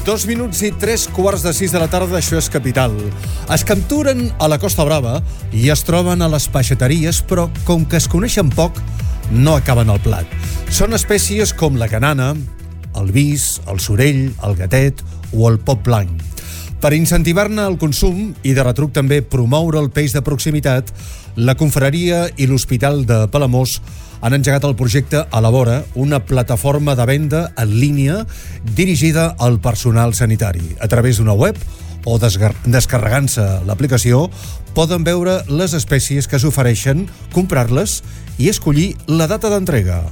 2 minuts i 3:45 de la tarda, això és Capital. Es capturen a la Costa Brava i es troben a les peixateries, però com que es coneixen poc, no acaben al plat. Són espècies com la canana, el vis, el sorell, el gatet o el pop blanc. Per incentivar-ne el consum i de retruc també promoure el peix de proximitat, la Confraria i l'Hospital de Palamós han engegat el projecte Elabora, una plataforma de venda en línia dirigida al personal sanitari. A través d'una web o descarregant-se l'aplicació poden veure les espècies que s'ofereixen, comprar-les i escollir la data d'entrega.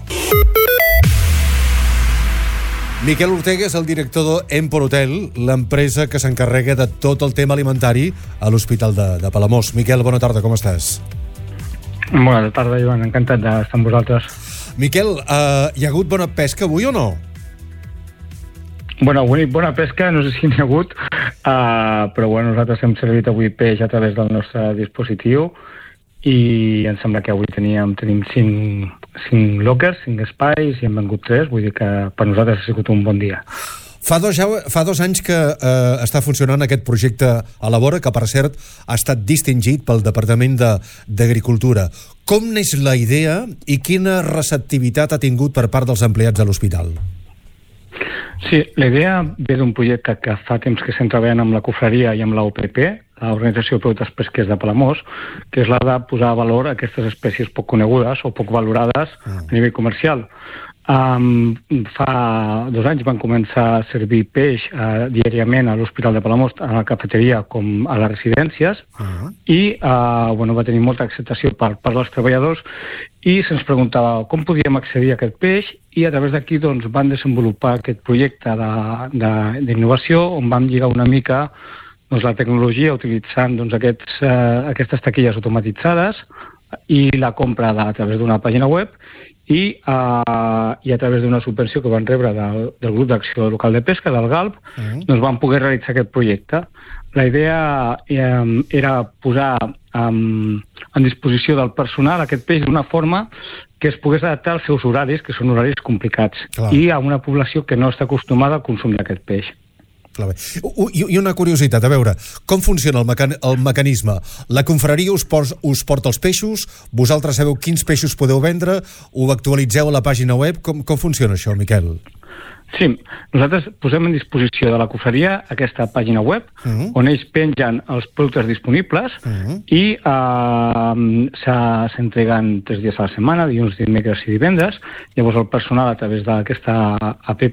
Miquel Ortega és el director d'Empor Hotel, l'empresa que s'encarrega de tot el tema alimentari a l'Hospital de Palamós. Miquel, bona tarda, com estàs? Bona tarda, Joan, encantat d'estar amb vosaltres. Miquel, hi ha hagut bona pesca avui o no? Bueno, avui bona pesca, no sé si n'hi ha hagut, però bueno, nosaltres hem servit avui peix a través del nostre dispositiu i em sembla que avui tenim 5 lockers, 5 espais i hem vengut 3, vull dir que per nosaltres ha sigut un bon dia. Fa dos anys que està funcionant aquest projecte Elabora, que per cert ha estat distingit pel Departament d'Agricultura. Com neix la idea i quina receptivitat ha tingut per part dels empleats de l'hospital? Sí, la idea ve d'un projecte que fa temps que estem treballant amb la Confraria i amb l'OPP, l'Organització de Productes Pesquers de Palamós, que és la de posar a valor aquestes espècies poc conegudes o poc valorades a nivell comercial. Fa 2 anys van començar a servir peix diàriament a l'Hospital de Palamós, a la cafeteria com a les residències, i va tenir molta acceptació per part dels treballadors i se'ns preguntava com podíem accedir a aquest peix i a través d'aquí doncs, van desenvolupar aquest projecte d'innovació on vam lligar una mica doncs, la tecnologia utilitzant doncs, aquestes taquilles automatitzades i la compra a través d'una pàgina web i a través d'una subvenció que van rebre del grup d'acció local de pesca, del GALP, doncs van poder realitzar aquest projecte. La idea era posar en disposició del personal aquest peix d'una forma que es pogués adaptar als seus horaris, que són horaris complicats, i a una població que no està acostumada al consum d'aquest peix. I una curiositat, a veure, com funciona el mecanisme? La confraria us porta els peixos, vosaltres sabeu quins peixos podeu vendre, ho actualitzeu a la pàgina web, com funciona això, Miquel? Sí, nosaltres posem en disposició de la confraria aquesta pàgina web on ells pengen els productes disponibles i s'entreguen 3 dies a la setmana, dilluns, dimecres i divendres. Llavors el personal a través d'aquesta app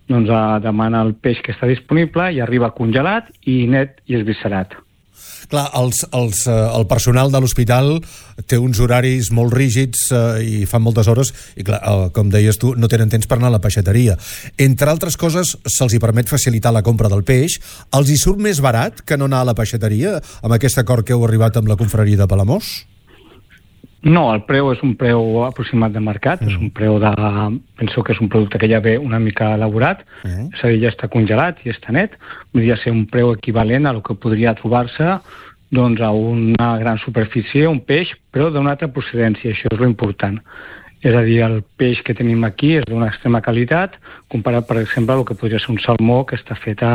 doncs demana el peix que està disponible i arriba congelat i net i esviscerat. Clar, el personal de l'hospital té uns horaris molt rígids i fan moltes hores i clar, com deies tu, no tenen temps per anar a la peixateria. Entre altres coses, se'ls hi permet facilitar la compra del peix. Els hi surt més barat que no anar a la peixateria amb aquest acord que heu arribat amb la Confraria de Palamós? No, el preu és un preu aproximat de mercat, és un preu penso que és un producte que ja ve una mica elaborat, és a dir, ja està congelat i està net, podria ser un preu equivalent a el que podria trobar-se doncs, a una gran superfície, un peix, però d'una altra procedència, això és l'important. És a dir, el peix que tenim aquí és d'una extrema qualitat, comparat, per exemple, al que podria ser un salmó que està fet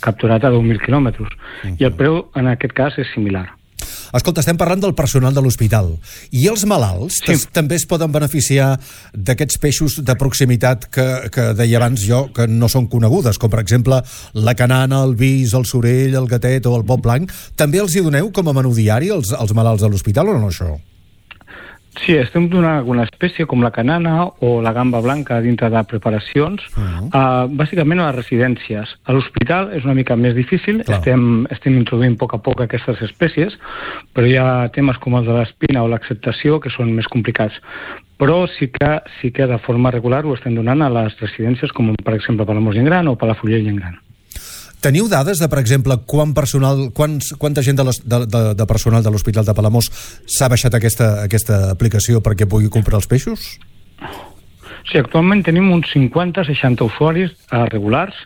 capturat a 10.000 quilòmetres. I el preu, en aquest cas, és similar. Escolta, estem parlant del personal de l'hospital. I els malalts també es poden beneficiar d'aquests peixos de proximitat que deia abans jo, que no són conegudes, com per exemple la canana, el vis, el sorell, el gatet o el pop blanc. També els hi doneu com a menú diari als malalts de l'hospital o no, això? Sí, estem donant alguna espècie com la canana o la gamba blanca dintre de preparacions, bàsicament a les residències. A l'hospital és una mica més difícil, estem introduint a poc aquestes espècies, però hi ha temes com els de l'espina o l'acceptació que són més complicats. Però sí que de forma regular ho estem donant a les residències com per exemple Palamós Gent Gran o Palafrugell Gent Gran. Teniu dades de, per exemple, quanta gent de personal de l'Hospital de Palamós s'ha baixat aquesta aplicació perquè pugui comprar els peixos? Sí, actualment tenim uns 50-60 usuaris regulars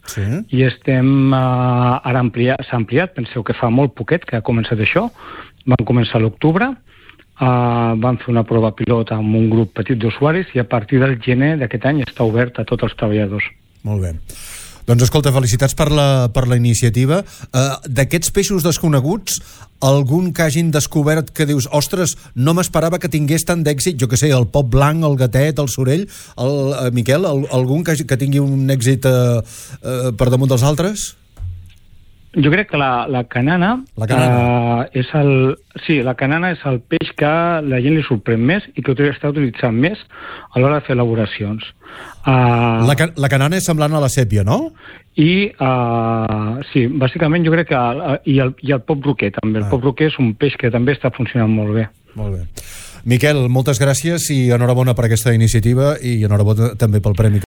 i ara s'ha ampliat, penseu que fa molt poquet que ha començat això, van començar a l'octubre, van fer una prova pilot amb un grup petit d'usuaris i a partir del gener d'aquest any està obert a tots els treballadors. Molt bé. Doncs escolta, felicitats per la iniciativa. D'aquests peixos desconeguts, algun que hagin descobert que dius, ostres, no m'esperava que tingués tant d'èxit, jo que sé, el pop blanc, el gatet, el sorell, Miquel, algun que tingui un èxit per damunt dels altres? Jo crec que la canana, és la canana és el peix que la gent li sorprèn més i que està utilitzant més a l'hora de fer elaboracions. La canana és semblant a la sèpia, no? I sí, bàsicament jo crec que i el pop roquer també. El pop roquer és un peix que també està funcionant molt bé. Molt bé. Miquel, moltes gràcies i enhorabona per aquesta iniciativa i enhorabona també pel premi.